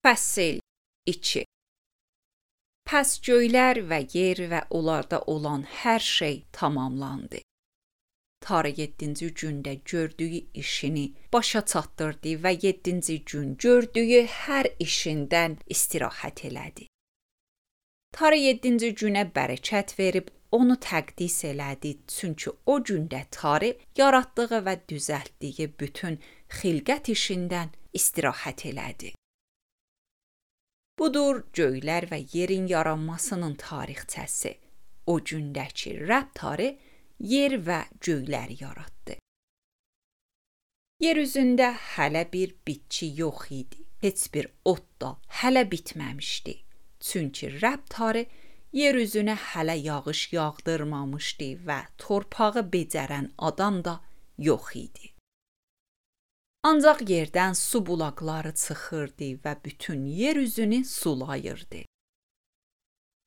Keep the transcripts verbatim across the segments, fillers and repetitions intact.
Fəsil iki. Pəs göylər və yer və onlarda olan hər şey tamamlandı. Tanrı yeddinci gündə gördüyü işini başa çatdırdı və yeddinci gün gördüyü hər işindən istirahət elədi. Tanrı yeddinci günə bərəkət verib onu təqdis elədi, çünki o gündə Tanrı yaratdığı və düzəltdiyi bütün xilqət işindən istirahət elədi. Budur göylər və yerin yaranmasının tarixçəsi. O gündəki Rəbb Tanrı yer və göyləri yaratdı. Yer üzündə hələ bir bitki yox idi. Heç bir ot da hələ bitməmişdi. Çünki Rəbb Tanrı yer üzünə hələ yağış yağdırmamışdı və torpağı becərən adam da yox idi. Ancaq yerdən su bulaqları çıxırdı və bütün yer üzünü sulayırdı.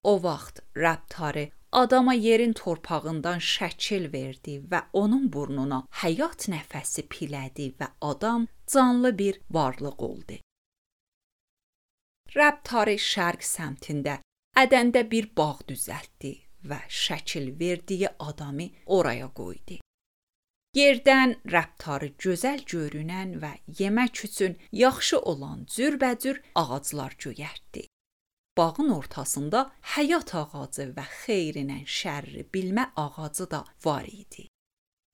O vaxt Rəbb Tanrı adama yerin torpağından şəkil verdi və onun burnuna həyat nəfəsi pilədi və adam canlı bir varlıq oldu. Rəbb Tanrı şərq səmtində Ədəndə bir bağ düzəltdi və şəkil verdiyi adamı oraya qoydu. Yerdən Rəbb Tanrı gözəl görünən və yemək üçün yaxşı olan cürbəcür ağaclar göyərtdi. Bağın ortasında həyat ağacı və xeyrinə şərri bilmə ağacı da var idi.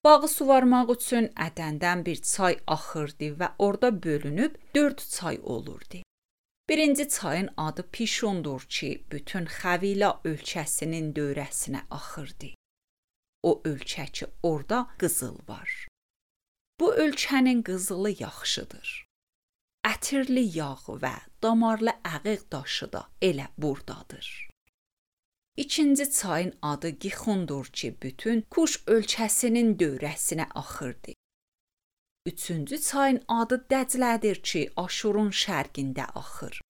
Bağı suvarmaq üçün Ədəndən bir çay axırdı və orada bölünüb dörd çay olurdu. Birinci çayın adı Pişondur ki, bütün xəvila ölkəsinin dövrəsinə axırdı. O ölkə ki, orada qızıl var. Bu ölkənin qızılı yaxşıdır. Ətirli yağ və damarlı əqiq daşı da elə buradadır. İkinci çayın adı Gixondur ki, bütün Kuş ölkəsinin dövrəsinə axırdı. Üçüncü çayın adı Dəclədir ki, Aşurun şərqində axır.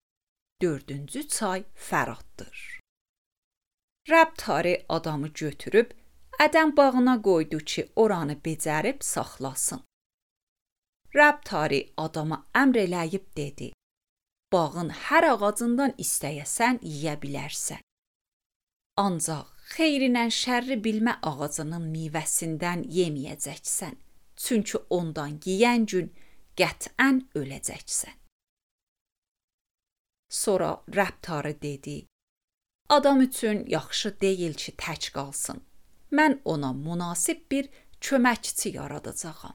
Dördüncü çay Fəraddır. Rəbb Tanrı adamı götürüb Ədəm bağına qoydu ki, oranı becərib saxlasın. Rəbb Tanrı adama əmr eləyib dedi: Bağın hər ağacından istəyəsən yeyə bilərsən. Ancaq xeyrinə şərri bilmə ağacının meyvəsindən yeməyəcəksən. Çünki ondan yeyən gün qətən öləcəksən. Sonra Rəbb Tanrı dedi: Adam üçün yaxşı deyil ki, tək qalsın. Mən ona münasib bir köməkçi yaradacağam.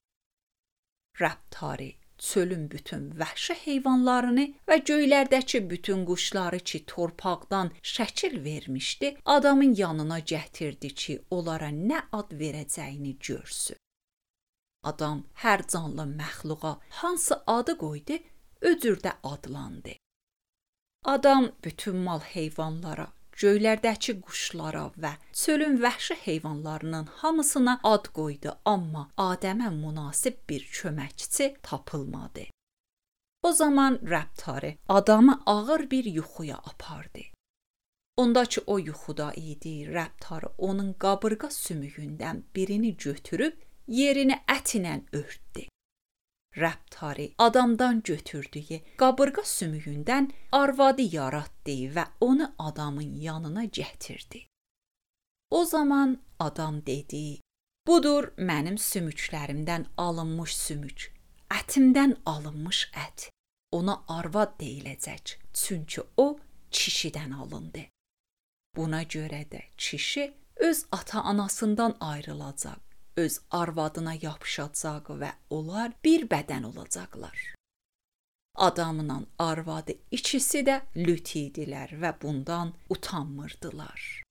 Rəbb Tanrı çölün bütün vəhşi heyvanlarını və göylərdəki bütün quşları ki, torpaqdan şəkil vermişdi, adamın yanına gətirdi ki, onlara nə ad verəcəyini görsün. Adam hər canlı məxluqa hansı adı qoydu, o cürdə adlandı. Adam bütün mal heyvanlara, göylərdəki quşlara və çölün vəhşi heyvanlarının hamısına ad qoydu, amma Adəmə münasib bir köməkçi tapılmadı. O zaman Rəbb Tanrı adamı ağır bir yuxuya apardı. Ondakı o yuxuda idi, Rəbb Tanrı onun qabırğa sümüyündən birini götürüb yerini ət ilə örtdü. Rəbb Tanrı adamdan götürdüyü qabırğa sümüyündən arvadı yaratdı və onu adamın yanına gətirdi. O zaman adam dedi: Budur mənim sümüklərimdən alınmış sümük, ətimdən alınmış ət. Ona arvad deyiləcək, çünki o kişidən alındı. Buna görə də kişi öz ata-anasından ayrılacaq, öz arvadına yapışacaq və onlar bir bədən olacaqlar. Adamla arvadı ikisi də lüt idilər və bundan utanmırdılar.